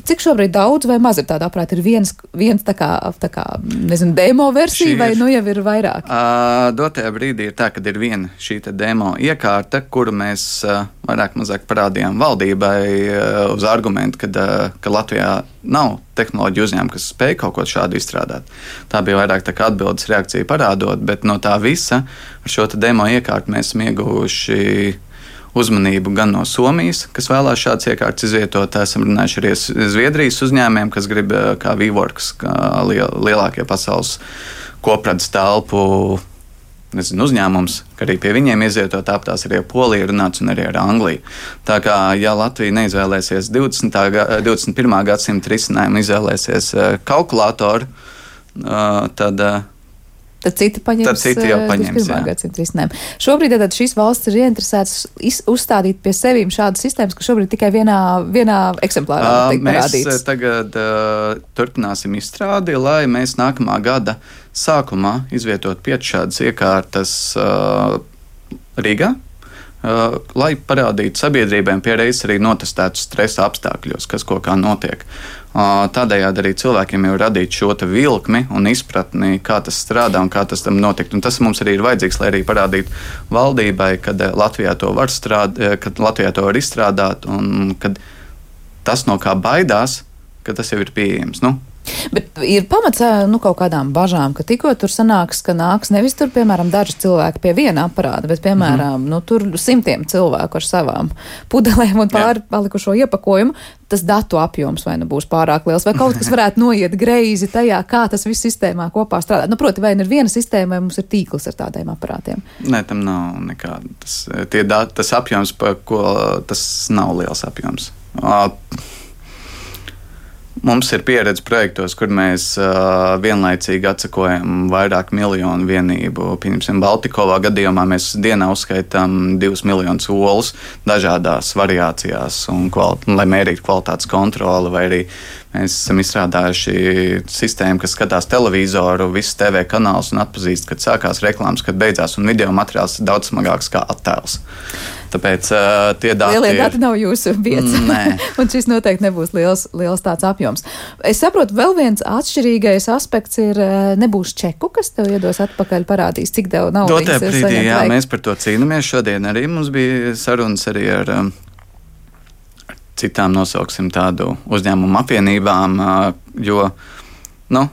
Cik šobrīd daudz vai maz ir tāda aparāta? Ir viens, viens tā kā, tā kā, nezinu, demo versija ir, vai nu jau ir vairāk? Uh, dotajā brīdī ir tā, kad ir viena šī demo iekārta, kuru mēs uh, vairāk mazāk parādījām valdībai uh, uz argumentu, kad, uh, ka Latvijā nav tehnoloģiju uzņēmumu, kas spēj kaut ko šādu izstrādāt. Tā bija vairāk tā kā atbildes reakcija parādot, bet no tā visa ar šo demo iekārtu mēs esam ieguvuši uzmanību gan no Somijas, kas vēlās šādas iekārtas izvietot. Esam runājuši arī Zviedrijas uzņēmējiem, kas grib kā WeWorks, kā liel, lielākie pasaules koprades telpu nezinu, uzņēmums, ka arī pie viņiem izvietot, tāpatās arī ar Poliju runāts un arī ar Angliju. Tā kā, ja Latvija neizvēlēsies divdesmit pirmā gadsimta risinājumu, izvēlēsies kalkulātoru, tad Tad citi paņems, tad citi jau paņems pirmā gadsimta risinājumu. Šobrīd tad šīs valsts ir ieinteresētas uzstādīt pie sevīm šādas sistēmas, ka šobrīd tikai vienā, vienā eksemplārā uh, tiek parādīts. Mēs tagad uh, turpināsim izstrādi, lai mēs nākamā gada sākumā izvietot pieci šādas iekārtas uh, Rīgā, uh, lai parādītu sabiedrībēm pierreiz arī notestētu stresa apstākļos, kas ko kā notiek. Tādējādi arī cilvēkiem jau radīt šo vilkmi un izpratni, kā tas strādā un kā tas tam notikt. Un tas mums arī ir vajadzīgs, lai arī parādītu valdībai, kad Latvijā to var strādāt, kad Latvijā to var izstrādāt un kad tas, no kā baidās, ka tas jau ir pieejams. Nu? Bet ir pamats nu, kaut kādām bažām, ka tikko tur sanāks, ka nāks nevis tur, piemēram, daži cilvēki pie viena aparāta, bet, piemēram, mm. nu, tur simtiem cilvēku ar savām pudelēm un pārpalikušo iepakojumu, tas datu apjoms vai nu būs pārāk liels, vai kaut kas varētu noiet greizi tajā, kā tas viss sistēmā kopā strādā. Nu, proti, vai ir viena sistēma, vai mums ir tīkls ar tādiem aparātiem? Nē, tam nav nekāda. Tas, tie dati, tas apjoms, pa ko tas nav liels apjoms. Uh, Mums ir pieredze projektos, kur mēs uh, vienlaicīgi atsakojam vairāk miljonu vienību. Piemēram, Baltikovā gadījumā mēs dienā uzskaitām divus miljonus olus dažādās variācijās, un kvali- lai mērītu kvalitātes kontroli, vai arī mēs esam izstrādājuši sistēmu, kas skatās televizoru, visus T V kanālus un atpazīst, kad sākās reklāmas, kad beidzās, un video materiāls ir daudz smagāks kā attēls. Tāpēc uh, tie dati Lielie ir... dati nav jūsu biedrs. Un šis noteikti nebūs liels, liels tāds apjoms. Es saprotu, vēl viens atšķirīgais aspekts ir, nebūs čeku, kas tev iedos atpakaļ, parādīs, cik tev nav. Dotē brīdī, jā, mēs par to cīnāmies. Šodien arī mums bija sarunas arī ar um, citām nosauksim tādu uzņēmumu apvienībām, jo, nu,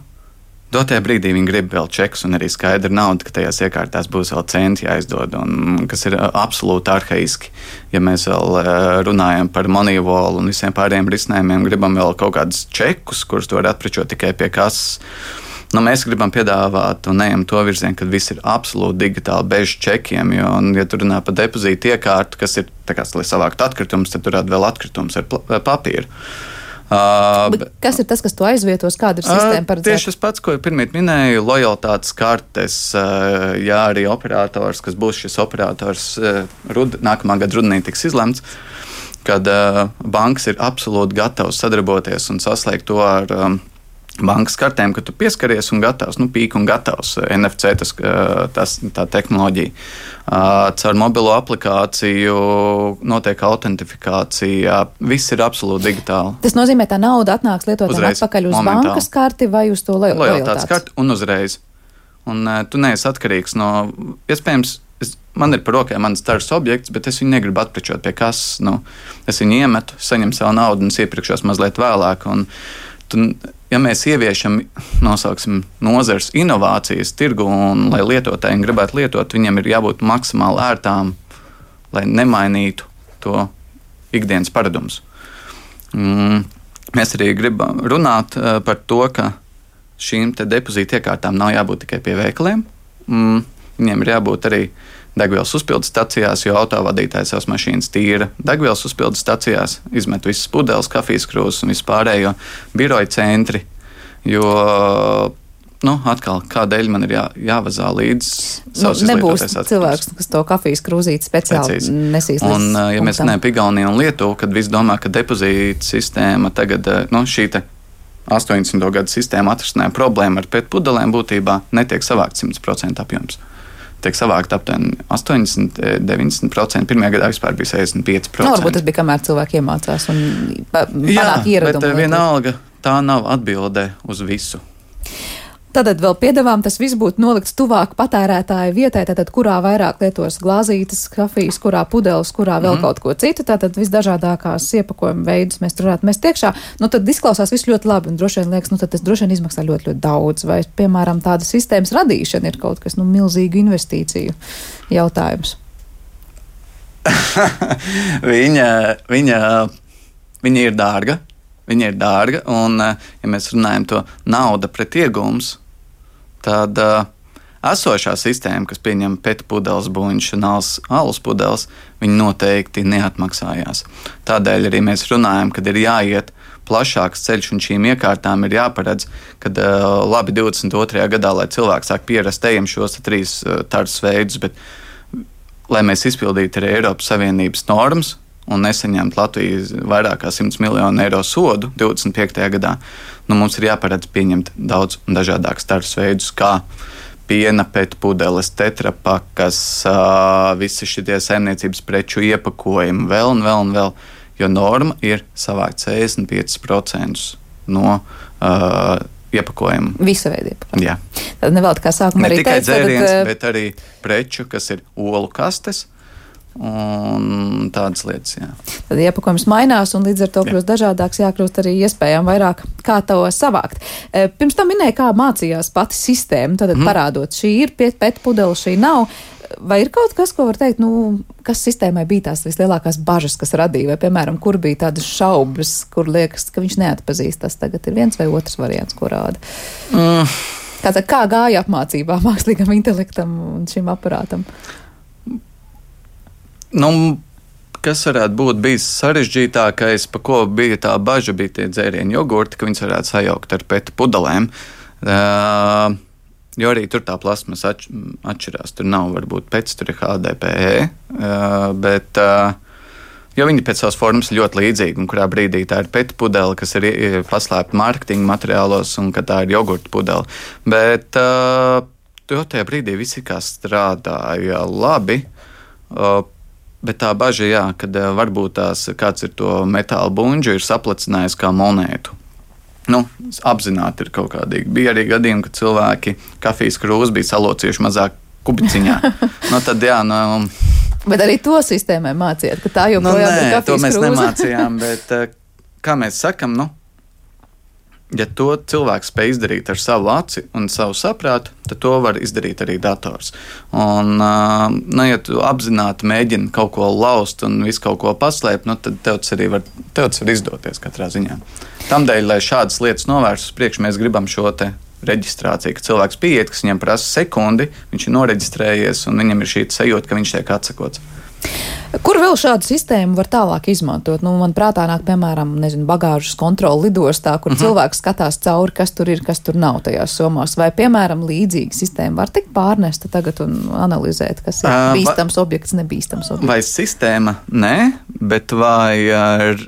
dotajā brīdī viņi grib vēl čekus un arī skaidru naudu, ka tajās iekārtās būs vēl centi jāizdod, un kas ir absolūti arhaiski. Ja mēs vēl runājam par moneyvolu un visiem pārējiem risinājumiem, gribam vēl kaut kādus čekus, kurus tu vari atprečot tikai pie kases. Nu, mēs gribam piedāvāt un ejam to virzienu, kad viss ir absolūti digitāli bez čekiem, jo, un, ja tu runā par depozītu iekārtu, kas ir, tā kā, lai savākt atkritumus, tad tur vēl atkritumus ar pl- papīru. Uh, bet kas ir tas, kas to aizvietos? Kāda ir sistēma paredzēta? Tieši tas pats, ko pirmīt minēju, lojalitātes kartes. Uh, jā, arī operators, kas būs šis operators, uh, rud, nākamā gada rudenī tiks izlemts, kad uh, bankas ir absolūti gatavs sadarboties un saslēgt to ar um, bankas kartēm, ka tu pieskaries un gatavs, nu, pīk un gatavs. N F C, tas, tas, tā tehnoloģija. Caur mobilo aplikāciju notiek autentifikācija. Viss ir absolūti digitāli. Tas nozīmē, tā nauda atnāks lietotājiem atpakaļ uz momentāli. Bankas karti vai uz to lojalitātes? Lojalitātes karti un uzreiz. Un uh, tu neesi atkarīgs no, iespējams, es, man ir par rokai mans staras objekts, bet es viņu negribu atprečot pie kases. Nu, es viņu iemetu, saņemu savu naudu un es iepirkšos mazliet vēlāk. Un, tu, ja mēs ieviešam, nosauksim, nozares inovācijas tirgu un lai lietotājiem gribētu lietot, viņiem ir jābūt maksimāli ērtām, lai nemainītu to ikdienas paradumus. Mm, mēs arī gribam runāt uh, par to, ka šīm te depozīta iekārtām nav jābūt tikai pie veikaliem. Mm, viņiem ir jābūt arī degvielas uzpildes stacijās, jo autovadītājs savas mašīnas tīra degvielas uzpildes stacijās, izmet visas pudeles, kafijas krūzes un vispārējo biroja centri, jo, nu, atkal, kādēļ man ir jā, jāvazā līdz savas nu, nebūs izlietoties cilvēks, kas to kafijas krūzīti speciāli Precīzi. nesīs līdz un, ja punktam. Mēs runājam par Igauniju un Lietuvu, kad visi domā, ka depozīta sistēma tagad, nu, šī te astoņdesmito gadu sistēma atrisināja problēmu ar pēc pudelēm, būtībā netiek savākt simt procenti apjoms. Tiek savākt aptuveni astoņdesmit līdz deviņdesmit procenti. Pirmajā gadā vispār bija sešdesmit pieci procenti. No, varbūt tas bija, kamēr cilvēki iemācās un panāk ieradumu. Jā, bet vienalga tā nav atbilde uz visu. Tātad vēl piedevām tas viss būtu nolikts tuvāk patērētāja vietai, tātad kurā vairāk lietos glāzītes, kafijas, kurā pudeles, kurā vēl mm. kaut ko citu, tātad visdažādākās iepakojuma veidus mēs tur varētu mest iekšā. Nu, tad izklausās viss ļoti labi un droši vien liekas, nu, tad tas droši vien izmaksā ļoti, ļoti daudz. Vai, piemēram, tāda sistēmas radīšana ir kaut kas, nu, milzīgu investīciju jautājums? viņa, viņa, viņa ir dārga. Viņa ir dārga, un, ja mēs runājam to nauda pret iegūmus, tad uh, esošā sistēma, kas pieņem pet pudeles, buļņš un alus pudeles, viņi noteikti neatmaksājās. Tādēļ arī mēs runājam, kad ir jāiet plašāks ceļš un šīm iekārtām ir jāparedz, kad uh, labi divdesmit otrajā gadā, lai cilvēks sāk pierast, ejam šos trīs uh, tārus veidus, bet lai mēs izpildītu arī Eiropas Savienības normas, un nesaņemt Latvijas vairāk kā simts miljonu eiro sodu divdesmit piektajā gadā, nu, mums ir jāparedz pieņemt daudz un dažādākus starus veidus, kā piena pet pudeles, tetrapakas, uh, visi šitie saimniecības preču iepakojumi, vēl un vēl un vēl, jo norma ir savākt sešdesmit pieci procenti no uh, iepakojuma. Visa veida iepakojuma. Jā. Tad nevēl tā kā sākumā ne arī tikai teikt, dzēriens, tad, bet arī preču, kas ir olu kastes, un tādas lietas, jā. Tad iepakojums mainās, un līdz ar to kļūst dažādāks, jākļūst arī iespējām vairāk, kā to savākt. Pirms tam minēja, kā mācījās pati sistēma, tad mm. parādot, šī ir pet pudele, šī nav. Vai ir kaut kas, ko var teikt, nu, kas sistēmai bija tās vislielākās bažas, kas radīja, vai, piemēram, kur bija tādas šaubas, kur liekas, ka viņš neatpazīst, tas tagad ir viens vai otrs variants, ko rāda? Mm. Kā, kā gāja apmācībā mākslīgam intelektam un šim aparātam? Nu, kas varētu būt bijis sarežģītākais, pa ko bija tā baža, bija tie dzērienu jogurti, ka viņus varētu sajaukt ar pet pudelēm. Uh, jo arī tur tā plasmas atš- atšķirās. Tur nav varbūt pēc, tur ir H D P E, uh, bet uh, jo viņi pēc savas formas ir ļoti līdzīgi, un kurā brīdī tā ir pet pudele, kas ir, ir paslēpta mārketinga materiālos, un ka tā ir jogurta pudele. Bet uh, tajā brīdī visi kā strādāja labi. Uh, Bet tā baža, jā, kad uh, varbūt tās kāds ir to metāla buņģu, ir saplacinājis kā monētu. Nu, apzināti ir kaut kādīgi. Bija arī gadījumi, kad cilvēki kafijas krūzi bija salocījuši mazāk kubiciņā. Nu, tad, jā, nu, Bet arī to sistēmai mācījāt, ka tā joprojām nu, nē, ir kafijas to mēs krūze. nemācījām, bet kā mēs sakam, nu, ja to cilvēks spēj izdarīt ar savu aci un savu saprātu, tad to var izdarīt arī dators. Un, nu, ja tu apzināti mēģini kaut ko laust un visu kaut ko paslēpt, nu, tad tev tas arī var, tev tas var izdoties katrā ziņā. Tamdēļ, lai šādas lietas novērstu uz priekšu, mēs gribam šo te reģistrāciju, ka cilvēks pieiet, kas viņam prasa sekundi, viņš ir noreģistrējies un viņam ir šī sajūta, ka viņš tiek atsakots. Kur vēl šādu sistēmu var tālāk izmantot? Nu, man prātā nāk, piemēram, nezinu, bagāžas kontroli lidostā, kur uh-huh. cilvēks skatās cauri, kas tur ir, kas tur nav tajās somās. Vai, piemēram, līdzīga sistēma var tikt pārnesta tagad un analizēt, kas ir uh, bīstams vai, objekts, nebīstams objekts? Vai sistēma? Nē, bet vai ar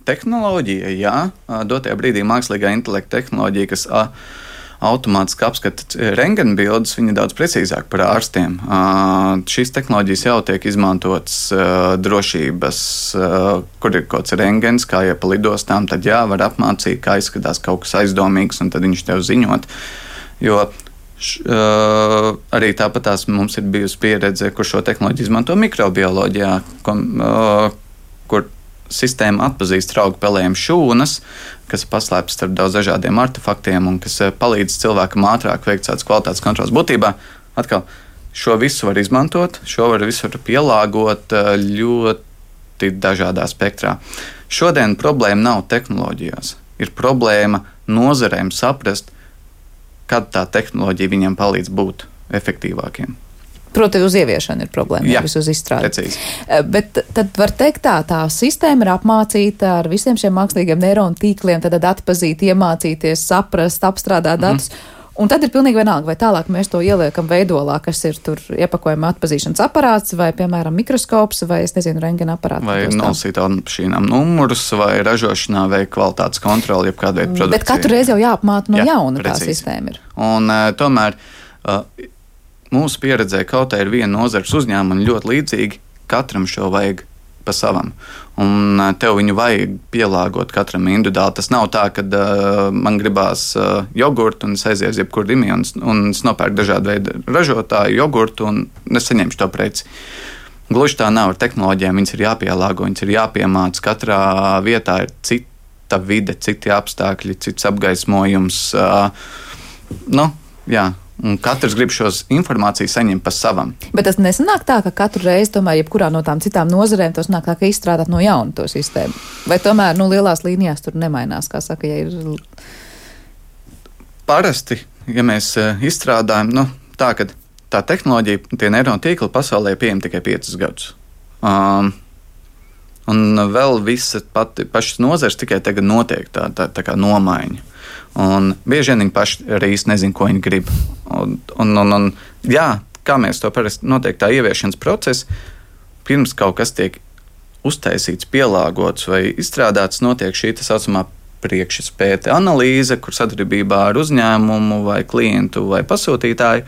tehnoloģija, jā, dotajā brīdī mākslīgā intelekta tehnoloģija, kas a, automātiski apskata rentgenbildes, viņi daudz precīzāk par ārstiem. Uh, šīs tehnoloģijas jau tiek izmantotas uh, drošības, uh, kur ir kaut kāds rentgens, kā jau pa lidostām, tad jā, var apmācīt, kā izskatās kaut kas aizdomīgs, un tad viņš tev ziņot. Jo š, uh, arī tāpatās mums ir bijusi pieredze, kur šo tehnoloģiju izmanto mikrobioloģijā, kom, uh, kur sistēma atpazīst raugu pelējumu šūnas, kas paslēpjas starp daudz dažādiem artefaktiem un kas palīdz cilvēkam ātrāk veikt tādas kvalitātes kontrolas. Būtībā atkal šo visu var izmantot, šo var visu var pielāgot ļoti dažādā spektrā. Šodien problēma nav tehnoloģijās. Ir problēma nozarēm saprast, kad tā tehnoloģija viņiem palīdz būt efektīvākiem. Proti, uz ieviešanu ir problēma, Jā, nevis uz izstrādi. Precīzi. Bet tad var teikt tā, tā sistēma ir apmācīta ar visiem šiem mākslīgiem neironu tīkliem, tad atpazīt, iemācīties, saprast, apstrādāt datus. Mm-hmm. Un tad ir pilnīgi vienalga, vai tālāk mēs to ieliekam veidolā, kas ir tur iepakojuma atpazīšanas aparāts, vai, piemēram, mikroskops, vai, es nezinu, rentgena aparāts. Vai nolasīt automašīnām numurus, vai ražošanā, vai kvalitātes kontroli, jeb kāda veida produkcija. Bet katru reizi jau jāapmāca no Jā, jauna precīzi. Tā sistēma ir. Un uh, tomēr uh, mūsu pieredzē kaut kā ir viena nozares uzņēmuma un ļoti līdzīgi katram šo vajag pa savam. Un uh, tev viņu vajag pielāgot katram individuāli. Tas nav tā, ka uh, man gribās uh, jogurtu un es aiziešu uz jebkuru rimi un, un es nopērku dažādu veidu ražotāju jogurtu un nesaņemšu to preci. Gluži tā nav ar tehnoloģijām. Viņas ir jāpielāgo, viņas ir jāpiemāca. Katrā vietā ir cita vide, citi apstākļi, cits apgaismojums. Uh, nu, jā. Un katrs grib šos informāciju saņemt pa savam. Bet tas nesanāk tā, ka katru reizi, tomēr, jebkurā no tām citām nozarēm, tas nāk tā, ka izstrādāt no jauna to sistēmu? Vai tomēr, nu, lielās līnijās tur nemainās, kā saka, ja ir... Parasti, ja mēs izstrādājam, nu, tā, ka tā tehnoloģija, tie neironu tīkli pasaulē pieejami tikai piecus gadus. Um, un vēl visa pati pašas nozars tikai tagad notiek tā, tā, tā kā nomaiņa. Un bieži vien viņi paši arī īsti nezina, ko viņi grib. Un, un, un, un, jā, kā mēs to parasti notiek tā ieviešanas process, pirms kaut kas tiek uztaisīts, pielāgots vai izstrādāts, notiek šī tā saucamā priekšspēte analīze, kur sadarbībā ar uzņēmumu vai klientu vai pasūtītāju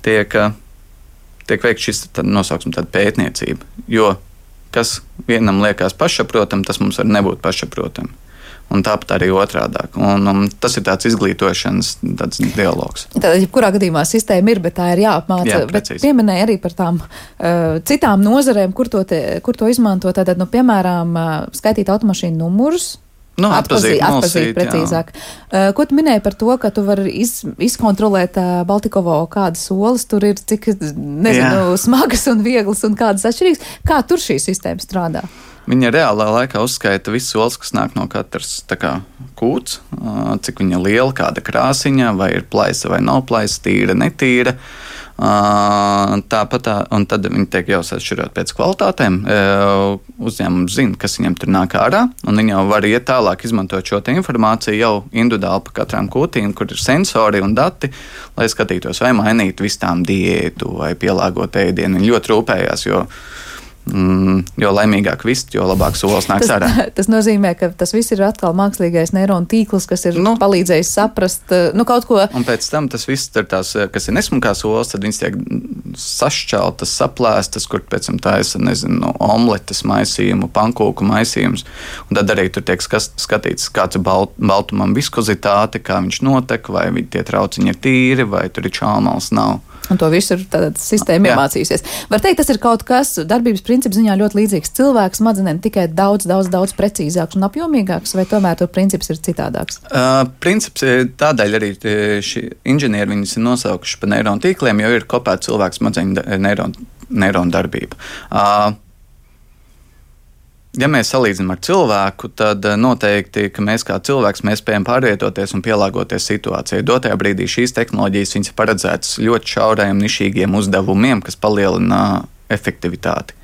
tiek, tiek veikt šis, tad nosauksim tādu pētniecību. Jo kas vienam liekas pašsaprotam, tas mums var nebūt pašsaprotam. Un tāpat arī otrādāk. Un, un tas ir tāds izglītošanas tāds dialogs. Tātad, jebkurā gadījumā sistēma ir, bet tā ir jāapmāca. Jā, bet pieminēja arī par tām uh, citām nozarēm, kur to, te, kur to izmanto. Tātad, nu, piemēram, uh, skaitīt automašīnu numurus. Nu, atpazīt, atpazīt, nosīt, atpazīt precīzāk. Uh, ko tu minēji par to, ka tu vari iz, izkontrolēt uh, Baltikovo, kādas olas tur ir, cik, nezinu, jā. smagas un vieglas un kādas atšķirīgas. Kā tur šī sistēma strādā? Viņa reālā laikā uzskaita visas olas, kas nāk no katras kā, kūts, cik viņa liela, kāda krāsiņa, vai ir plaisa vai nav plaisa, tīra, netīra. Tāpat tā, un tad viņi tiek jau atšķirot pēc kvalitātēm. Uzņēmums zina, kas viņam tur nāk ārā, un viņi jau var iet tālāk izmantot šo informāciju jau individuāli pa katrām kūtīm, kur ir sensori un dati, lai skatītos, vai mainīt visu tām diētu vai pielāgot ēdienu. Viņi ļoti rūpējās, jo Mm, jo laimīgāk vist, jo labāk solis nāks ārā. Tas, tas nozīmē, ka tas viss ir atkal mākslīgais neironu tīkls, kas ir nu, palīdzējis saprast nu, kaut ko. Un pēc tam tas viss ir tās, kas ir nesmukās solis, tad viņas tiek sašķeltas, saplēstas, kur pēc tam taisa, nezinu, omletes maisījumu, pankūku maisījumus. Un tad arī tur tiek skatīts, kāds ir balt, baltumam viskozitāte, kā viņš notek, vai tie trauciņi ir tīri, vai tur ir čāmals nav. Un to visu ir tāda sistēma Jā. iemācījusies. Var teikt, tas ir kaut kas darbības principu ziņā ļoti līdzīgs cilvēks smadzenēm, tikai daudz, daudz, daudz precīzāks un apjomīgāks, vai tomēr tur princips ir citādāks? Uh, princips ir tādēļ arī šī inženieri viņus ir nosaukuši par neironu tīkliem, jo ir kopēta cilvēku smadzeņu neironu, neironu darbība. Uh, Ja mēs salīdzinām ar cilvēku, tad noteikti, ka mēs kā cilvēks mēs spējam pārvietoties un pielāgoties situācijai. Dotajā brīdī šīs tehnoloģijas viņas ir paredzētas ļoti šaurajiem, nišīgiem uzdevumiem, kas palielina efektivitāti.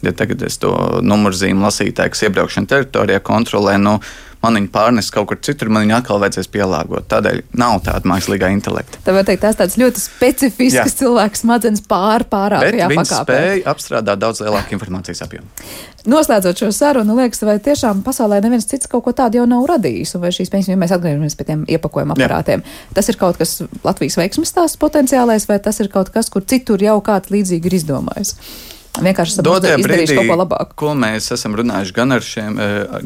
Ja tagad es to numurzīmu lasītāju, kas iebraukšana teritorijā kontrolē, nu, man viņu pārnes kaut kur citur, man viņu atkal vajadzēs pielāgot. Tādēļ nav tāda mākslīgā intelekta. Tā var teikt, tās tādas ļoti specifiskas Jā. cilvēku smadzenes pār pārākajā pakāpē. Bet viņi spēja apstrādāt daudz lielāku informācijas apjomu. Noslēdzot šo sarunu, liekas, vai tiešām pasaulē neviens cits kaut ko tādu jau nav radījis, un vai šīs, piemēram, ja mēs atgriežamies pie tiem iepakojuma aparātiem, Jā. tas ir kaut kas Latvijas veiksmes stāsts potenciālais, vai tas ir kaut kas, kur citur jau kāds līdzīgi ir izdomājis? Vienkārši Dotajā brīdī, kaut ko labāku. Ko mēs esam runājuši gan ar šiem,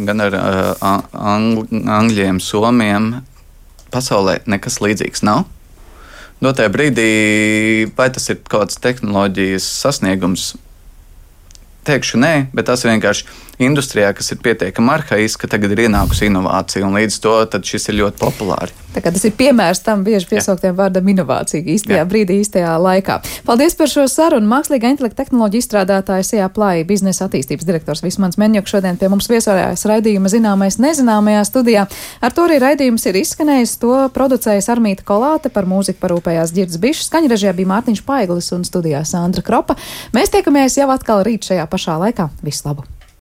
gan ar angl, angļiem, somiem, pasaulē nekas līdzīgs nav. Dotajā brīdī, vai tas ir kaut kāds tehnoloģijas sasniegums, teikšu nē, bet tas vienkārši industrijā, kas ir pietiekami arhaiska, tagad ir ienākusi inovācija, un līdz to tad šis ir ļoti populāri. Tā kā tas ir piemērs tam bieži piesauktiem vārdam inovācija īstajā Jā. brīdī, īstajā laikā. Paldies par šo sarunu. Mākslīgā intelekta tehnoloģija izstrādātājs Sijā Plāja biznesa attīstības direktors Vismants Meņņoks šodien pie mums viesojās raidījuma Zināmais nezināmajā studijā. Ar to arī raidījums ir izskanējis, to producējas Armīta Kolāte, par mūziku parūpējās Ģirds Bišs, skaņrežijā bija Mārtiņš Paiglis un studijā Sandra Kropa. Mēs tiekamies jau atkal rīt šajā pašā laikā. Visu labu!